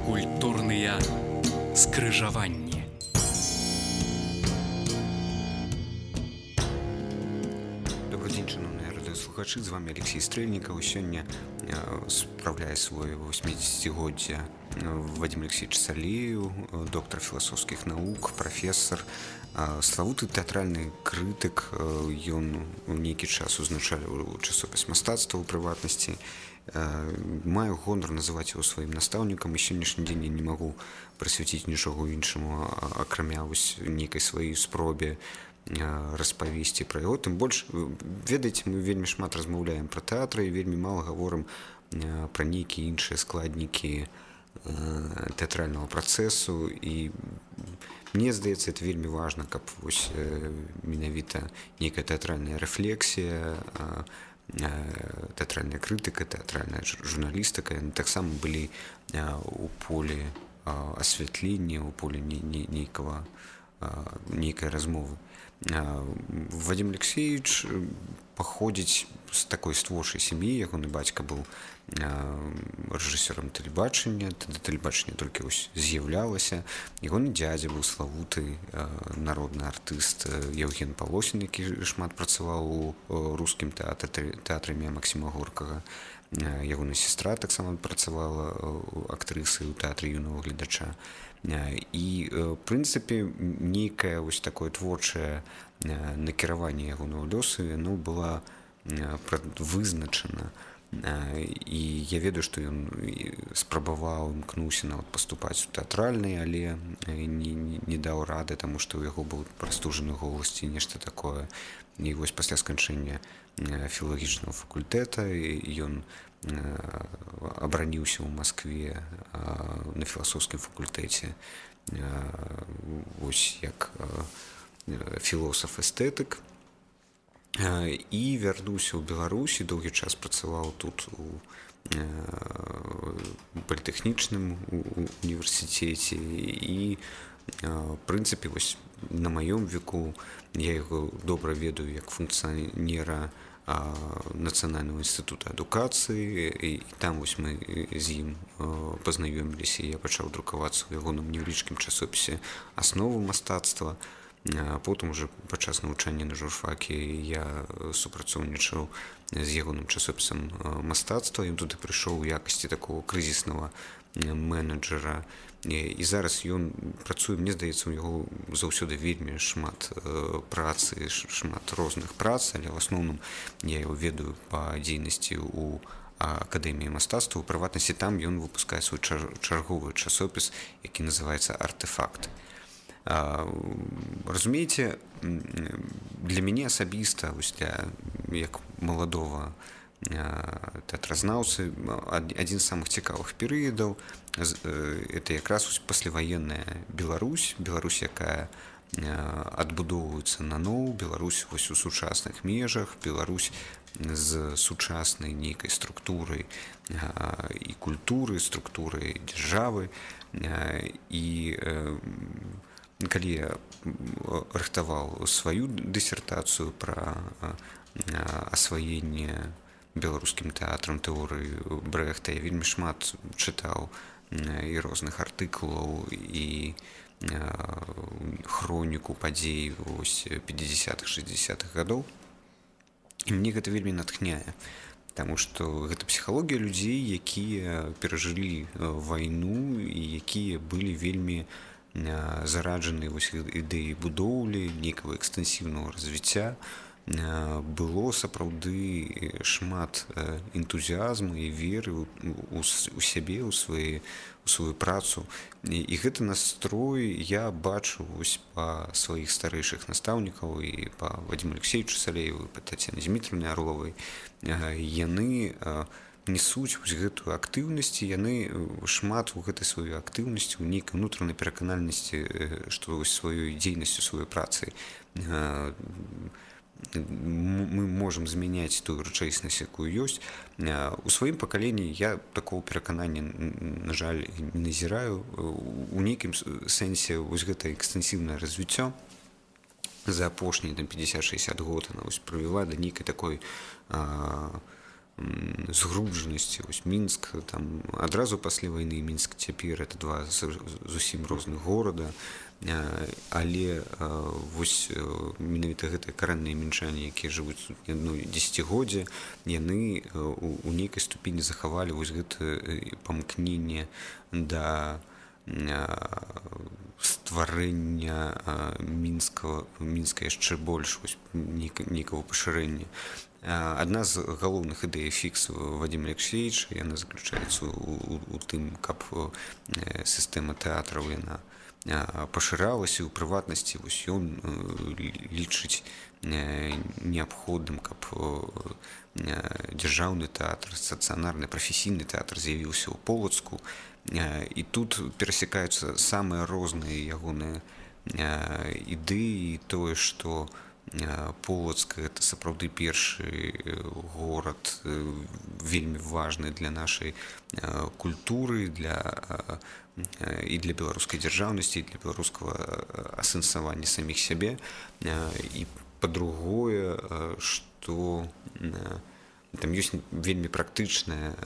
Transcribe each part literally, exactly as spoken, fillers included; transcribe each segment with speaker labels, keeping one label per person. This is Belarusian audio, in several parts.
Speaker 1: Культурныя скрыжаванні.
Speaker 2: Добрый дзень, шановныя радыёслухачы, з вами Алексей Стрельнікаў. Сёння спраўляе сваё восьмідзесяцігоддзе Вадзім Алексеевич Салеў, доктар філасофскіх навук, прафесар, славуты тэатральны крытык. Ён у нейкі час узначальваў часопіс мастацтва ў прыватнасці. Маю гонар называць яго сваім настаўнікам, і сённяшні дзень я не магу прысвяціць нічога іншаму, акрамя вось нейкай сваёй спробе распавесці пра яго. Тым больш, ведаеце, мы вельмі шмат размаўляем пра тэатры і вельмі мала гаворым пра нейкія іншыя складнікі тэатральнага працэсу, і мне здаецца, это вельмі важна, каб вось менавіта нейкая тэатральная рэфлексія, тэатральная крытыка, тэатральная журналістыка таксама былі у полі асвятлення, у полі нейкага нейкай размовы. Вадзім Алексеевич паходзіць з такой створчай сям'і. Ягоны бацька быў рэжысёрам тэлебачання, тады тэлебачанне толькі вось з'яўлялася. Ягоны дзядзя быў славуты народны артыст Евген Полосін, які шмат працаваў у рускім тэатры, тэатры імя Максіма Горкага. Ягоная сястра таксама працавала актрысай у тэатры юнага гледача. І, в прынцыпе, нейкае вось такое творчае накіраванне ягонага лёсу, яно была вызначана. І я ведаю, што ён спрабаваў, імкнуўся нават паступаць у тэатральны, але не, не, не даў рады, таму што ў яго быў прастужаны голас ці нешта такое. І вось пасля сканчэння філалагічнага факультэта ён абараніўся ў Маскве на філасофскім факультэце вось як філосаф-эстэтык, і вярнуўся ў Беларусі, доўгі час працаваў тут у політэхнічным універсітэце, і в прынцыпе вось на маём веку я яго добра ведаю як функцыянера Нацыянальнага інстытута адукацыі, і там вось мы з ім пазнаёміліся, і я пачаў друкавацца ў ягоным невялічкім часопісе «Асновы мастацтва». Потым уже падчас навучання на журфаке я супрацоўнічаў з ягоным часопісам мастацтва. Ён туды прыйшоў у якасці такого крызіснага менеджера, і зараз ён працуе, мне здаецца, у яго заўсёды вельмі шмат працы, шмат розных прац, але в асноўным я яго ведаю па дзейнасці ў Акадэміі мастацтва. У прыватнасці там ён выпускае свой чарговы часопіс, які называецца «Артефакт». Разумееце, для мяне асабіста, для як маладога тэатразнаўцы, адзін з самых цікавых перыядаў это якраз пасляваенная Беларусь, Беларусь, якая адбудоўваецца наноў, Беларусь вось у сучасных межах, Беларусь з сучаснай нейкай структурай і культуры, структурай дзяржавы. І калі я рыхтаваў сваю дысертацыю пра асваенне беларускім тэатрам тэорыі Брэхта, я вельмі шмат чытаў і розных артыкулаў, і хроніку падзей пяцідзясятых шэсцідзясятых гадоў. І мне гэта вельмі натхняе, таму што гэта псіхалогія людзей, якія перажылі вайну і якія былі вельмі зараджаны ідэяй будоўлі, нейкага экстэнсіўнага развіцця. Было сапраўды шмат энтузіазму і веры у сябе, у сваю працу. І гэты настрой я бачу па сваіх старэйшых настаўнікаў, і па Вадзіму Алексеевичу Салееву, па Тацьяне Змітраўне Арловай. Яны несуць гэтую актыўнасць, і яны шмат у гэтай сваёй актыўнасці, у нейкай унутранай пераканальнасці, што сваёй дзейнасцю, сваёй працай мы можам змяняць тую рэчаіснасць, якую ёсць. У сваім пакаленні я такого пераканання, на жаль, не назіраю. У нейкім сэнсе вось гэта экстэнсіўнае развіццё за апошнія пяцьдзясят-шэсцьдзесят год она прывяла да нейкай такой згруджанасці. Вось Мінск там адразу пасля вайны, Мінск цяпер это два зусім розных горада, але вось менавіта гэтыя карэнныя мінчане, якія жывуць тут ну, дзесяцігоддзе, яны у нейкай ступені захавалі вось гэта памкненне да стварэння мінска мінска яшчэ больш нейкага пашырэння. Адна з галоўных ідэй фікс Вадзіма Алексеевича, яна заключаецца у, у, у тым, каб сістэма тэатраў яна пашыралася, у прыватнасці вось ён лічыць неабходным, каб дзяржаўны тэатр, стацыянарны прафесійны тэатр з'явіўся ў Полацку. І тут перасякаюцца самыя розныя ягоныя ідэі, тое, што Полацк – это сапраўды першы горад, вельмі важны для нашай культуры, для і для беларускай дзяржаўнасці, і для беларускага асэнсавання саміх сябе. І па-другое, што там ёсць вельмі практычнае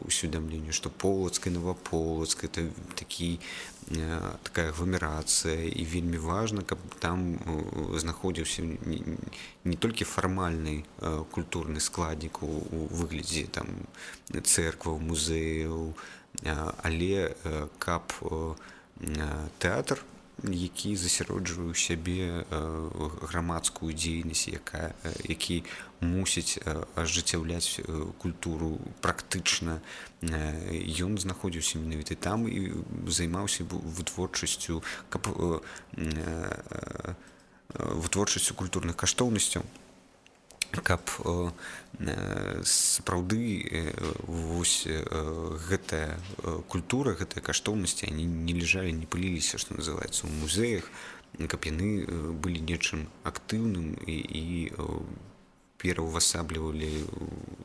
Speaker 2: усведамленне, што Полацк і Новаполацк – это такі, такая агломерацыя, і вельмі важна, каб там знаходзіўся не, не толькі фармальны культурны складнік у, у выглядзе там цэркваў, музеяў, але каб тэатр, які засяроджвае ў сябе грамадскую дзейнасць, якая, які мусіць ажыццяўляць культуру практычна, ён знаходзіўся менавіта там і займаўся вытворчасцю, каб вытворчасцю культурных каштоўнасцяў, каб сапраўды вось гэтая культура, гэтыя каштоўнасці, они не лежалі, не пыліліся, што называецца, у музеях, каб яны былі нечым актыўным і, і пераўвасаблівалі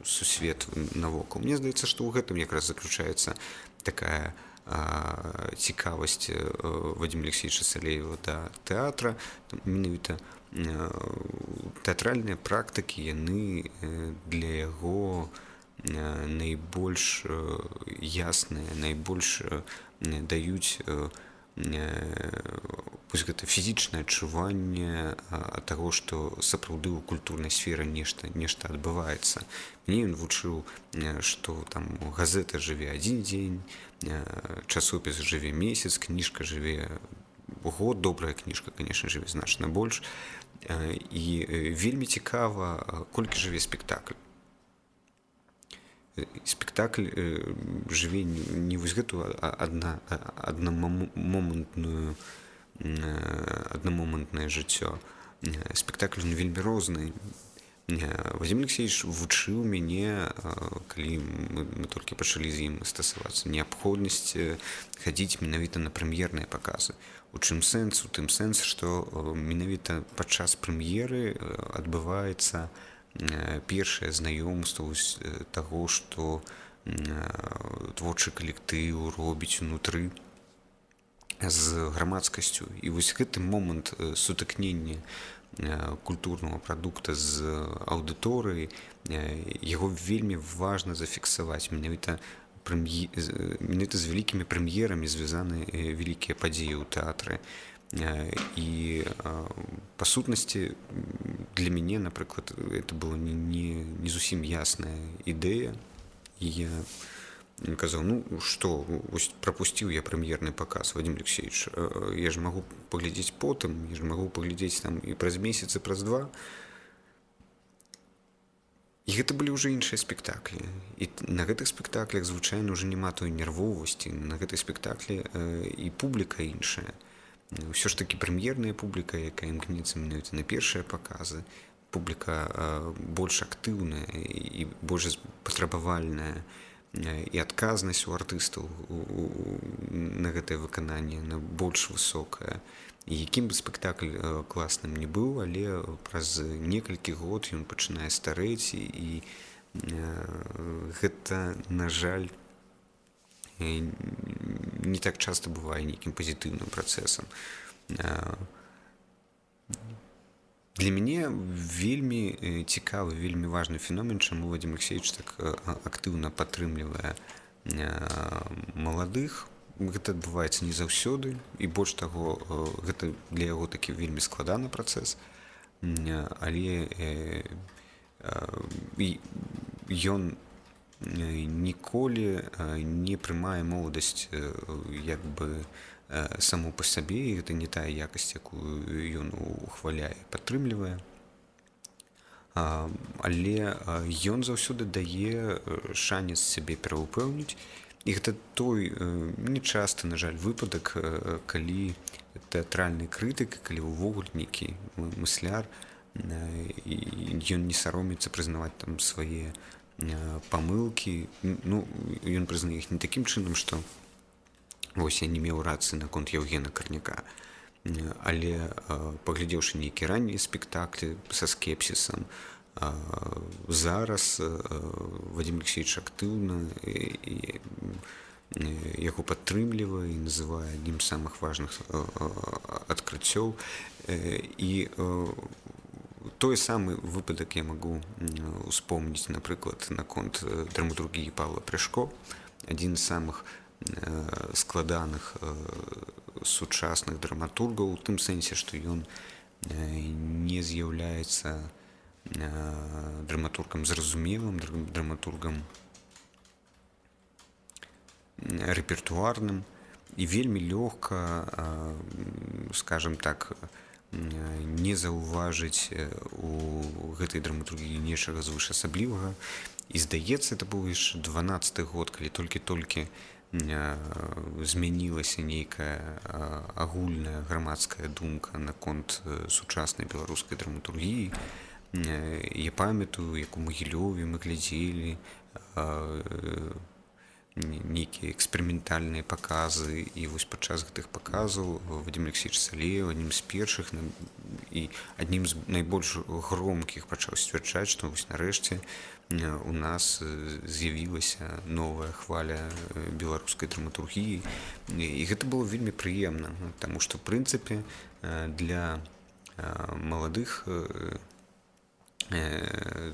Speaker 2: сусвет навокал. Мне здаецца, што ў гэтым якраз заключаецца такая цікавасць Вадзіма Алексеевича Салеева да тэатра, менавіта тэатральныя практыкі, яны для яго найбольш ясныя, найбольш даюць вось гэта фізічнае адчуванне ад таго, што сапраўды ў культурнай сферы нешта нешта адбываецца. Мне ён вучыў, што там газета жыве адзін дзень, часопіс жыве месяц, кніжка жыве год, добрая кніжка, конечно, жыве значна больш. І вельмі цікава, колькі жыве спектакль. Спектакль жыве не вось гэту аднамомантную аднамомантнае жыццё. Спектакль вельмі розны. Вадзім Алексеевич вучыў мяне, калі мы, мы толькі пачалі з ім стасавацца, неабходнасць хадзіць менавіта на прэм'ерныя паказы. У чым сэнс? У тым сэнс, што менавіта падчас прэм'еры адбываецца першае знаёмства таго, што творчы калектыў робіць унутры з грамадскасцю. І вось гэты момант сутыкнення культурнага прадукта з аўдыторыяй, яго вельмі важна зафіксаваць. Менавіта менавіта з вялікімі прэм'ерамі звязаны вялікія падзеі ў тэатры. І па сутнасці для мяне, напрыклад, это была не, не, не зусім ясная ідэя, і я казаў, ну што, прапусціў я прэм'ерны паказ, Вадзім Алексеевич, я ж магу паглядзець потым, я ж магу паглядзець там і праз месяц, і праз два. І гэта былі ўжо іншыя спектаклі. І на гэтых спектаклях звычайна ўжо няма той нервовасці, на гэтых спектаклі і публіка іншая. Ўсё ж такі прэм'ерная публіка, якая імкнецца менавіта на першыя паказы, публіка больш актыўная і больш патрабавальная, і адказнасць у артыстаў на гэтае выкананне на больш высокая. І якім бы спектакль класным не быў, але праз некалькі год ён пачынае старэць, і гэта, на жаль, не так часта бывае нейкім пазітыўным працэсам. Для мяне вельмі цікавы, вельмі важны феномен, чаму Вадзім Алексеевич так актыўна падтрымлівае маладых. Гэта адбываецца не заўсёды, і больш таго, гэта для яго такі вельмі складаны працэс, але ён ніколі не прымае моладасць як бы саму па сабе, і гэта не тая якасць, якую ён ухваляе, падтрымлівае. Але ён заўсёды дае шанец сябе пераўпэўніць. І гэта той нечасты, на жаль, выпадак, калі тэатральны крытык, калі ўвогуле нейкі мысляр, ён не саромецца прызнаваць там свае памылкі. Ну, ён прызнае іх не такім чынам, што вось я не меў рацыі наконт Яўгена Карняка, але паглядзеўшы нейкі раннія спектаклі са скепсісам, зараз Вадзім Алексеевич актыўна яго падтрымлівае і называе аднім з самых важных адкрыццёў. І той самы выпадак я магу успомніць, напрыклад, наконт драматургіі Павла Пряшко, адзін з самых складаных сучасных драматургаў, у тым сэнсе, што ён не з'яўляецца драматургам зразумелым, драматургам рэпертуарным, і вельмі лёгка, скажем так, не заўважыць у гэтай драматургіі нечага звышасаблівага. І здаецца, это быў яшчэ дванаццаты год, калі толькі-толькі змянілася нейкая агульная грамадская думка наконт сучаснай беларускай драматургіі. Я памятаю, як у Магілёве мы глядзелі нейкія эксперыментальныя паказы, і вось падчас гэтых паказаў Вадзім Алексеевич Салеў аднім з першых і аднім з найбольш громкіх пачаў сцвярджаць, што вось нарэшце у нас з'явілася новая хваля беларускай драматургіі. І гэта было вельмі прыемна, таму што, в прынцыпе, для маладых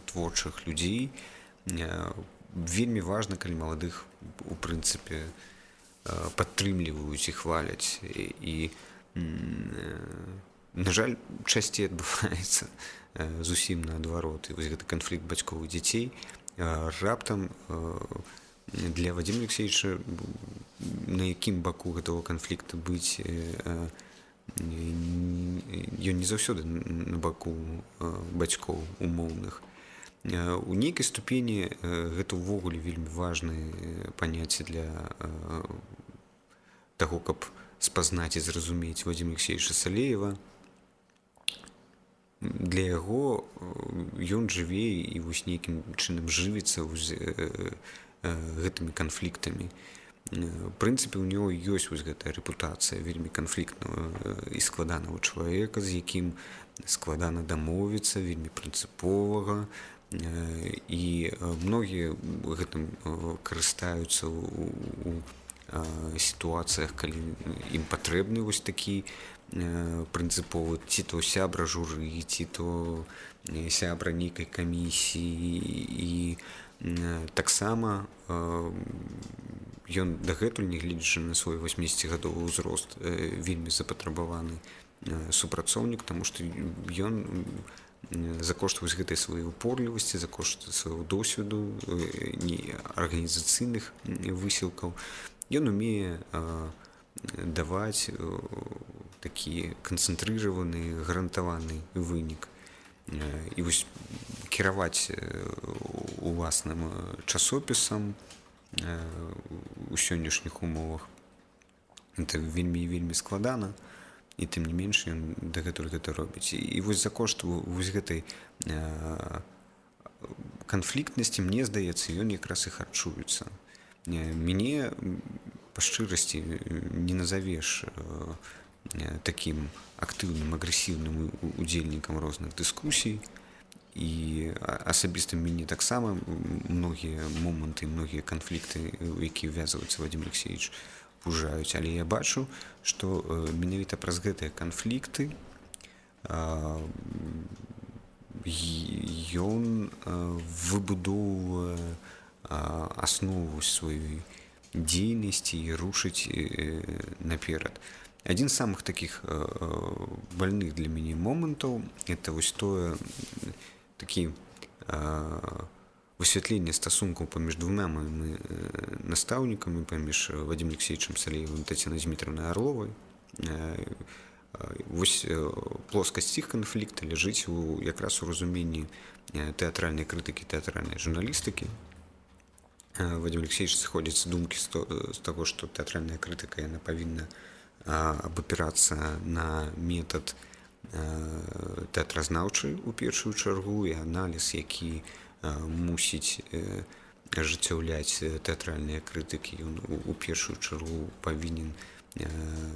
Speaker 2: творчых людзей вельмі важна, калі маладых у прынцыпе падтрымліваюць і хваляць. І, на жаль, часцей адбываецца зусім наадварот. І вось гэты канфлікт бацькоў і дзяцей раптам для Вадзіма Алексеевича, на якім баку гэтага канфлікта быць, ён не заўсёды на баку бацькоў умоўных. У нейкай ступені гэта ўвогуле вельмі важнае паняцце для таго, каб спазнаць і зразумець Вадзіма Алексеевича Салеева. Для яго ён жыве і вось нейкім чынам жывіцца гэтымі канфліктамі. В прынцыпе, у него ёсць вось гэтая рэпутацыя вельмі канфліктнага і складанага чалавека, з якім складана дамовіцца, вельмі прынцыповага, і многія гэтым карыстаюцца ў сітуацыях, калі ім патрэбны вось такі прынцыповы ці то сябра журы, ці то сябра нейкай камісіі. І таксама ён дагэтуль, нягледзячы на свой васьмідзесяцігадовы ўзрост, вельмі запатрабаваны супрацоўнік, таму што ён за кошт вось гэтай сваёй упорлівасці, за кошт свайго досведу, арганізацыйных высілкаў, ён умее даваць такі канцэнтрыраваны, гарантаваны вынік. І вось кіраваць уласным часопісам у сённяшніх умовах это вельмі і вельмі складана, і тым не менш ён дагэтуль гэта робіць. І вось за кошт вось гэтай канфліктнасці, мне здаецца, ён якраз і харчуецца. Мяне па шчырасці не назавеш такім актыўным, агрэсіўным удзельнікам розных дыскусій, і асабіста мяне таксама многія моманты, многія канфлікты, у які ўвязваецца Вадзім Алексеевич, пужаюць. Але я бачу, што менавіта праз гэтыя канфлікты ён выбудоўвае аснову сваёй дзейнасці і рушыць наперад. Адзін з самых такіх больных для мяне момантаў это вось тое такі высвятленне стасункаў паміж двума маімі настаўнікамі, паміж Вадзімом Алексеевичем Салеевым і Таццянай Змітравнай Арловай. Вось плоскасць іх канфлікта ляжыць у, якраз у разуменні тэатральнай крытыкі, тэатральнай журналістыкі. Вадзім Алексеевич сыходзіць з думкі з таго, што тэатральная крытыка яна павінна абапірацца на метад тэатразнаўчы у першую чаргу і аналіз, які мусіць ажыццяўляць тэатральныя крытыкі. Ён у першую чаргу павінен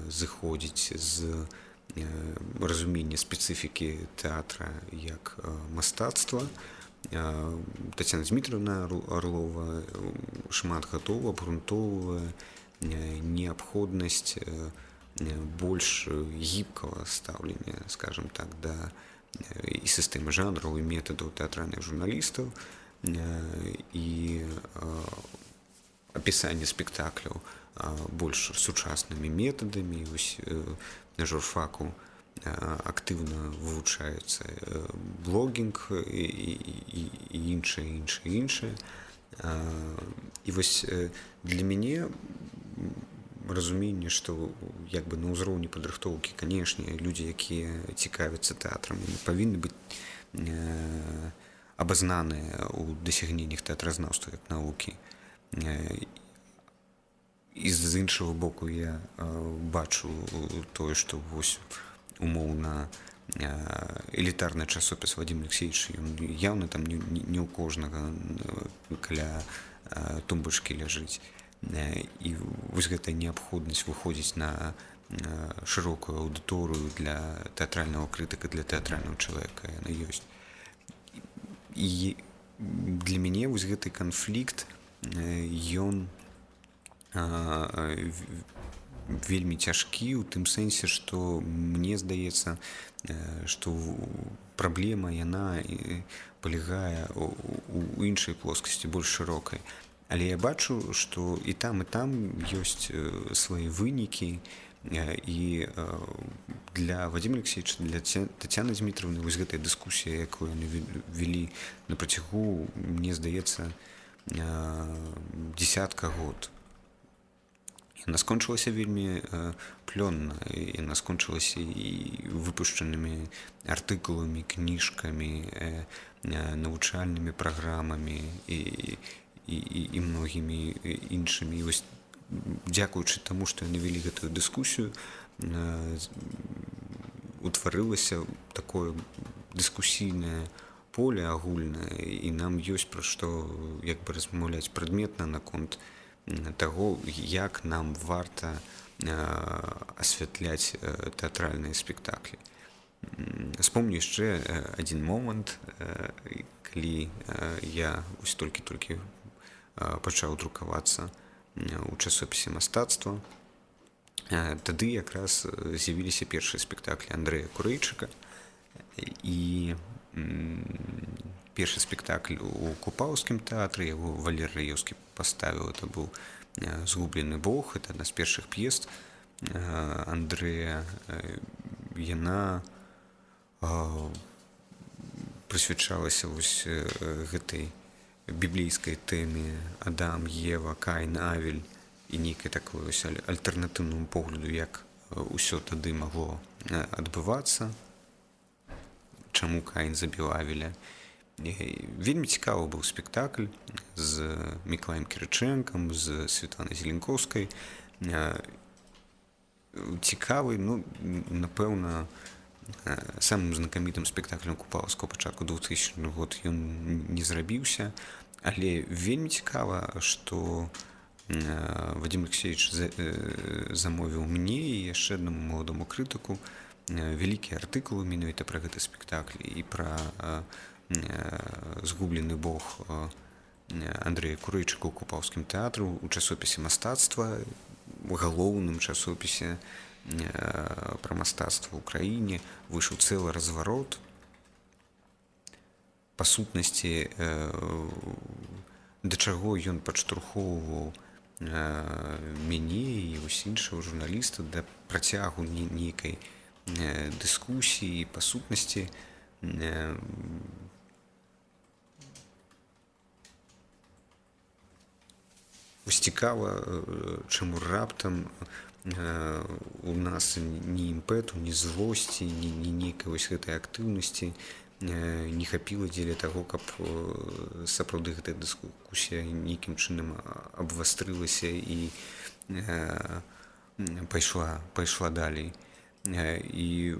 Speaker 2: зыходзіць з разумення спецыфікі тэатра як мастацтва. Таццяна Змітравна Арлова шмат гатова абгрунтоўвае неабходнасць больш гібкага стаўлення, скажем так, да і сістэмы жанраў і метадаў тэатральных журналістаў і апісанне спектакляў больш сучаснымі метадамі. Вось на журфаку актыўна вывучаецца блогінг і іншае, іншае, іншае. І вось для мяне разуменне, што як бы на ўзроўні падрыхтоўкі, канешне, людзі, якія цікавяцца тэатрам, павінны быць абазнаныя ў дасягненнях тэатразнаўства як навукі. І з іншага боку я бачу тое, што вось умоўна элітарны часопіс Вадзіма Алексеевича, ён яўна там не ў кожнага каля тумбачкі ляжыць. І вось гэтая неабходнасць выходзіць на шырокую аўдыторыю для тэатральнага крытыка, для тэатральнага чалавека яна ёсць. І для мяне вось гэты канфлікт ён вельмі цяжкі ў тым сэнсе, што мне здаецца, што праблема яна палягае у іншай плоскасці, больш шырокай. Але я бачу, што і там, і там ёсць свае вынікі, і для Вадзіма Алексеевича, для Таццяны Змітравны вось гэтая дыскусія, якую яны вялі на працягу, мне здаецца, дзесятка год. Яна скончылася вельмі плённа, яна скончылася і выпушчанымі артыкуламі, кніжкамі, навучальнымі праграмамі і, і, і многімі іншымі. І вось дзякуючы таму, што яны вялі гэтую дыскусію, утварылася такое дыскусійнае поле агульнае, і нам ёсць пра што як бы размаўляць прадметна наконт таго, як нам варта асвятляць тэатральныя спектаклі. Спомню яшчэ адзін момант, калі я ось толькі-толькі пачаў друкавацца у часопісе мастацтва. Тады якраз з'явіліся першыя спектаклі Андрэя Курэйчыка, і першы спектакль у Купаўскім тэатры, яго Валер Раёўскі паставіў, это быў «Згублены Бог», это адна з першых п'ес Андрэя. Яна прысвячалася вось гэтай біблейскай тэме Адам, Ева, Каін, Авель і нейкай такой вось альтэрнатыўнаму погляду, як усё тады магло адбывацца, чаму Каін забіў Авеля. Вельмі цікавы быў спектакль з Мікалаем Кірычэнкам, з Святланай Зеленкоўскай. Цікавы, ну, напэўна, самым знакамітым спектаклем Купаўскага пачатку двухтысячных год ён не зрабіўся, але вельмі цікава, што Вадзім Алексеевич замовіў мне і яшчэ аднаму маладому крытыку вялікі артыкул менавіта пра гэты спектакль і пра «Згублены Бог» Андрэя Курэйчыка ў Купаўскім тэатры у часопісе мастацтва, у галоўным часопісе пра мастацтва ў краіне, выйшаў цэлы разварот. Па сутнасці, да чаго ён падштурхоўваў мяне і ўсе іншыя журналісты да працягу нейкай дыскусіі, па сутнасці вось цікава, чаму раптам у нас ні імпэту, ні злосці, ні нейкай вось гэтай актыўнасці не хапіла дзеля таго, каб сапраўды гэтая дыскусія нейкім чынам абвастрылася і пайшла, пайшла далей. І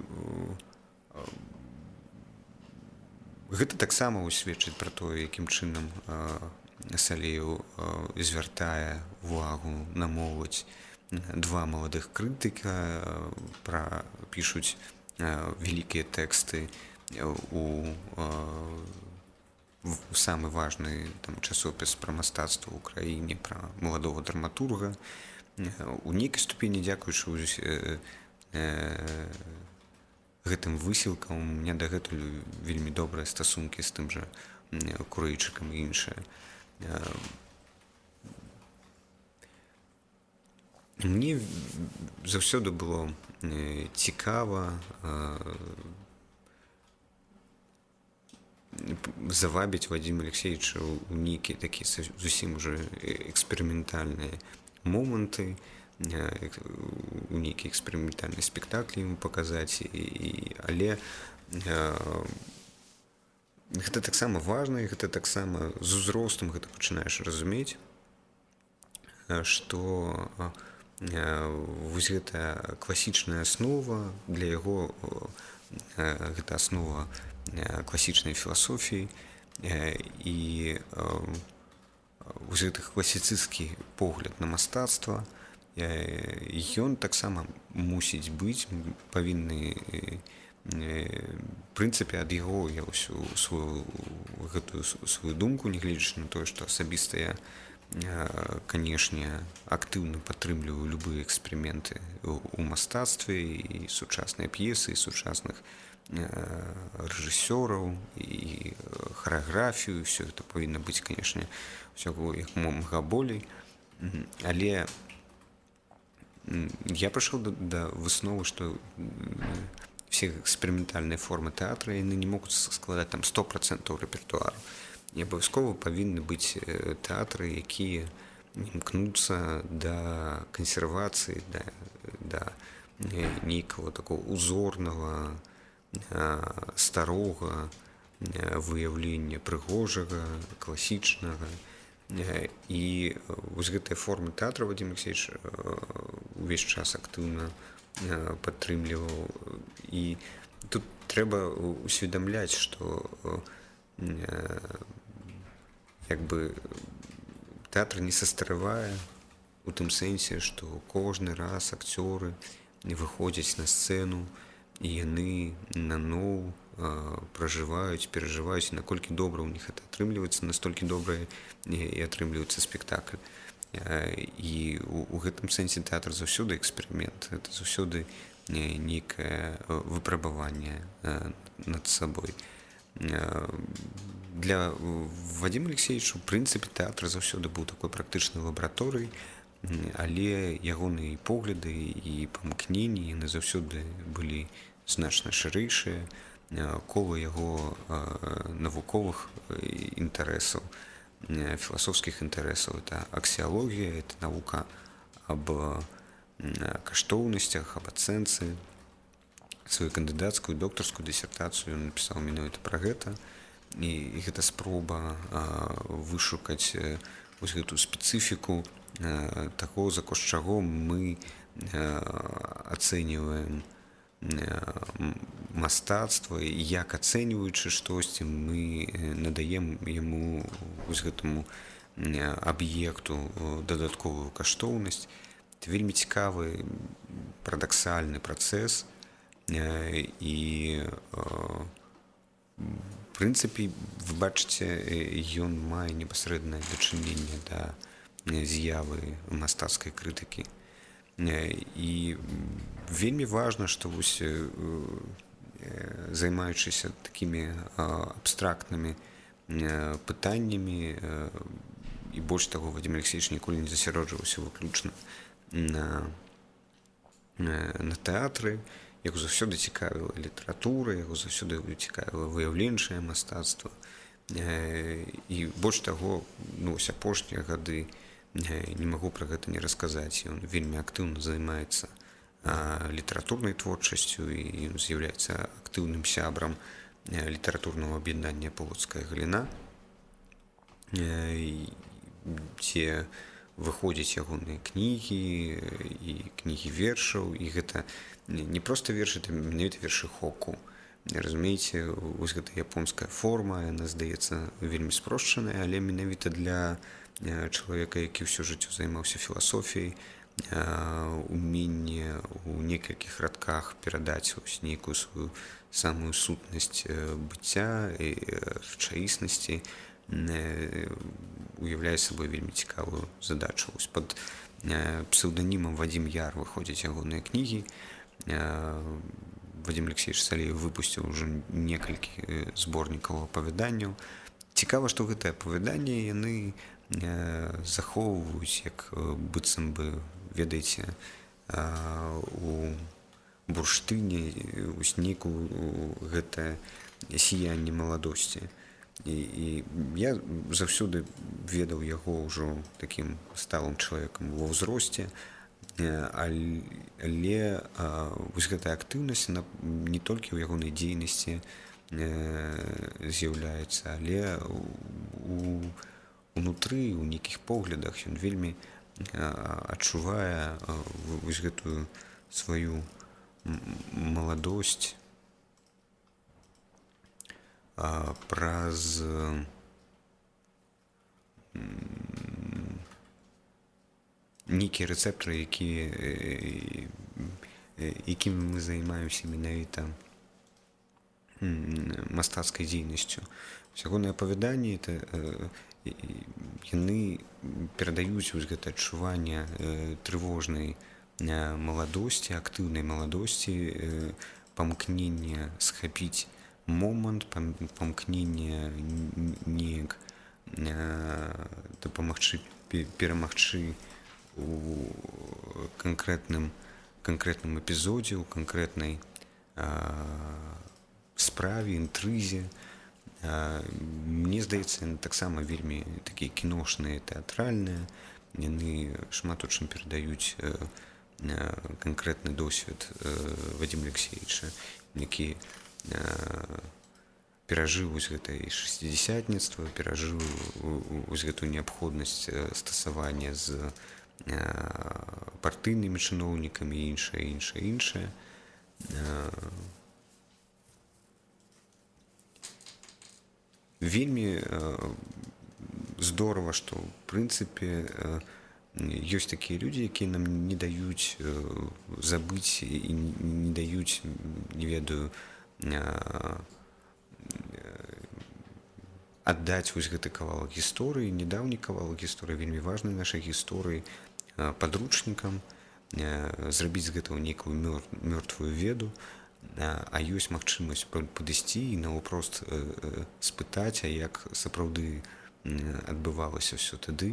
Speaker 2: гэта таксама сведчыць пра тое, якім чынам Салеў звяртае увагу на моладзь. Два маладых крытыка пішуць вялікія тэксты у самы важны часопіс пра мастацтва ў краіне, пра маладога драматурга. У нейкай ступені, дзякуючы гэтым высілкам, у мяне дагэтуль вельмі добрыя стасункі з тым жа Курэйчыкам і іншае. Мне заўсёды было цікава завабіць Вадзіма Алексеевича ў нейкія такія зусім уже эксперыментальныя моманты, у нейкія эксперыментальныя спектаклі ему паказаць, але гэта таксама важна, і гэта таксама з узростам гэта пачынаеш разумець, што вось гэта класічная аснова для яго, гэта аснова класічнай філасофіі, і вось гэты класіцысцкі погляд на мастацтва, ён таксама мусіць быць, павінны в прынцыпе ад яго я ўсю сваю гэтую сваю думку, нягледзячы на тое, што асабіста я, канешне, актыўна падтрымліваю любыя эксперыменты ў мастацтве, і сучасныя п'есы, і сучасных рэжысёраў, і харэаграфію. Все гэта павінна быць, канешне, усяго як мага болей. Але я прыйшоў да высновы, што все эксперыментальныя формы тэатра, яны не могуць складаць там сто процентаў рэпертуару. І абавязкова павінны быць тэатры, якія імкнуцца да кансервацыі, да, да нейкага такого узорнага, старога выяўлення прыгожага, класічнага. І вось гэтыя формы тэатра Вадзім Алексеевич увесь час актыўна падтрымліваў. І тут трэба усведамляць, што як бы тэатр не састаравае у тым сэнсе, што кожны раз акцёры выходзяць на сцэну, і яны наноў пражываюць, перажываюць, наколькі добра ў них это атрымліваецца, настолькі добра і атрымліваецца спектакль. І у гэтым сэнсе тэатр заўсёды эксперымент, это заўсёды нейкае выпрабаванне над сабой. Для Вадзіма Алексеевича, у прынцыпе, тэатр заўсёды быў такой практычнай лабараторыяй, але ягоныя погляды і памкненні, яны заўсёды былі значна шырэйшыя. Кола яго навуковых інтарэсаў, філасофскіх інтарэсаў, это аксіялогія, это навука аб каштоўнасцях, аб ацэнцы. Сваю кандыдацкую, доктарскую дысертацыю ён напісаў менавіта пра гэта. І гэта спроба вышукаць вось гэтую спецыфіку таго, за кошт чаго мы ацэньваем мастацтва, і як ацэньваючы штосьці, мы надаем яму вось гэтаму аб'екту дадатковую каштоўнасць. Это вельмі цікавы парадаксальны працэс, і в прынцыпе, вы бачыце, ён мае непасрэднае дачыненне да з'явы мастацкай крытыкі. і вельмі важна, што вось займаючыся такімі абстрактнымі пытаннямі, і больш таго, Вадзім Алексеевич ніколі не засяроджваўся выключна на, на тэатры. Яго заўсёды цікавіла літаратура, яго заўсёды цікавіла выяўленчае мастацтва. І больш таго, ну, вось апошнія гады не магу пра гэта не расказаць. Ён вельмі актыўна займаецца літаратурнай творчасцю, і ён з'яўляецца актыўным сябрам літаратурнага аб'яднання «Полацкая галіна», дзе выходзяць ягоныя кнігі і кнігі вершаў, і гэта не проста вершы, это менавіта вершы хоку. Разумееце, вось гэта японская форма, яна здаецца вельмі спрошчаная, але менавіта для чалавека, які ўсё жыццё займаўся філасофіяй, уменне ў некалькіх радках перадаць вось нейкую сваю самую сутнасць быцця і рэчаіснасці уяўляе сабой вельмі цікавую задачу. Вось пад псеўданімам Вадзім Яр выходзяць ягоныя кнігі. Вадзім Алексеевич Салеев выпусціў ўжо некалькі зборнікаў апавяданняў. Цікава, што гэтыя апавяданні яны захоўваюць, як быццам бы, ведаеце, у бурштыне вось нейкую гэтае сіянне маладосці. І, і я заўсёды ведаў яго ўжо такім сталым чалавекам ва ўзросце, але, але вось гэтая актыўнасць, она не толькі ў ягонай дзейнасці з'яўляецца, але у унутры, у нейкіх поглядах ён вельмі адчувае вось гэтую сваю маладосць праз нейкія рэцэптары, якія, якімі мы займаемся менавіта мастацкай дзейнасцю. Ягоныя апавяданні яны перадаюць вось гэта адчуванне трывожнай маладосці, актыўнай маладосці, памкнення схапіць момант, памкнення неяк дапамагчы перамагчы у канкрэтным канкрэтным эпізодзе, у канкрэтнай справе, інтрызе. Мне здаецца, яны таксама вельмі такія кіношныя, тэатральныя. Яны шмат у чым перадаюць канкрэтны досвед Вадзіма Алексеевича, які перажыў вось гэтае шэсцідзясятніцтва, перажыў вось гэтую неабходнасць стасавання з партыйнымі чыноўнікамі і іншае, іншае, іншае. Вельмі здорава, што ў прынцыпе ёсць такія людзі, якія нам не даюць забыць і не даюць, не ведаю, аддаць вось гэты кавалак гісторыі, недаўні кавалак гісторыі, вельмі важнай нашай гісторыі, падручнікам, зрабіць з гэтага нейкую мёртвую веду. А ёсць магчымасць падысці і наўпрост спытаць, а як сапраўды адбывалася ўсё тады,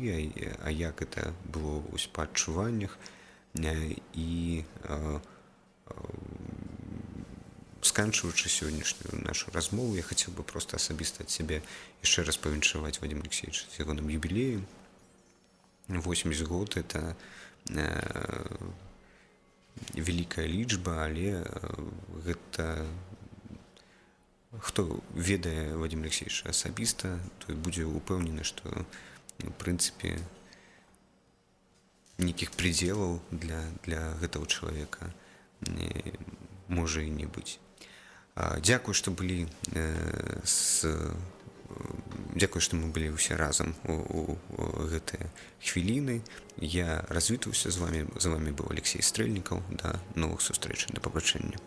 Speaker 2: а як гэта было па адчуваннях. І сканчваючы сённяшнюю нашу размову, я хацеў бы проста асабіста ад сябе яшчэ раз павіншаваць Вадзіма Алексеевича з ягоным юбілеем. восемьдесят год — это вялікая лічба, але гэта хто ведае Вадзіма Алексеевича асабіста, той будзе упэўнены, што в прынцыпе нейкіх прыдзелаў для, для гэтага чалавека можа і не быць. Дзякую, што былі з Дзякую, што мы былі ўсе разам у, у гэтыя хвіліны. Я развітваюся з вами. З вами быў Алексей Стрэльнікаў. Да новых сустрэч. Да пабачэння.